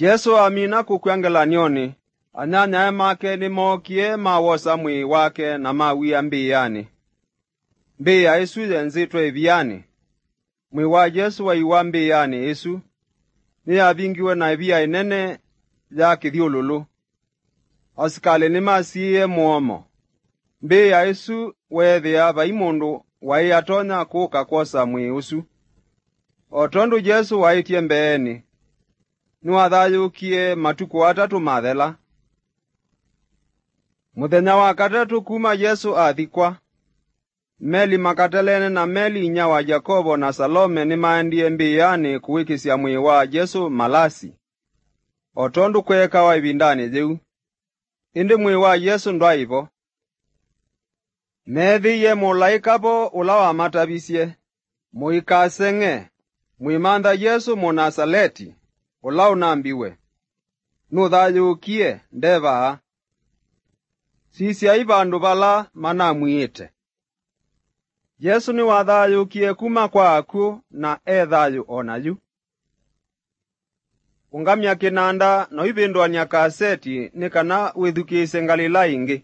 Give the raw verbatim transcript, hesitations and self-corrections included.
Yesũ amina kũkw'a ngelany'onĩ, anyanyae make nĩmookie mawosa mwĩĩ wake na mawia mbĩanĩ. Mbĩĩa ĩsu yenzĩtwe ĩvianĩ. Mwĩĩ wa Yesũ waiwa mbĩanĩ ĩsu. Nĩyavingiwe na ĩvia ĩnene ya kĩthyũlũlũ. Asikalĩ nĩmasiĩĩe mũomo. Mbĩĩa ĩsu weethĩa vai mũndũ waĩ atonya kũka kwosa mwĩĩ ũsu. O tondũ Yesũ waĩtye mbeenĩ, nĩwathayũũkie matukũ atatũ mathela. Mũthenya wa katatũ kuma Yesũ athikwa, Meli Makataleene na Meli inyia wa Yakovo na Salome nĩmaendie mbĩanĩ kũwĩkĩsya mwĩĩ wa Yesũ malasi, o tondũ kweekawa ĩvindanĩ yĩu. Ĩndĩ mwĩĩ wa Yesũ ndwaĩ vo. Meethĩie mũlaĩka vo ũla wamatavisye, "Mũikaseng'e, mwĩmantha Yesũ Mũnasaleti, ũla ũnambiwe. Nũthayũũkie, nde vaa. Sisyai vandũ vala manamwiĩte." Yesũ nĩwathayũũkie kuma kwa akw'ũ na e thayũ o na yu. Ũngamya kĩnanda na ũivĩndũany'a kaseti nĩ kana wĩthukĩĩsye ngalĩla ĩngĩ.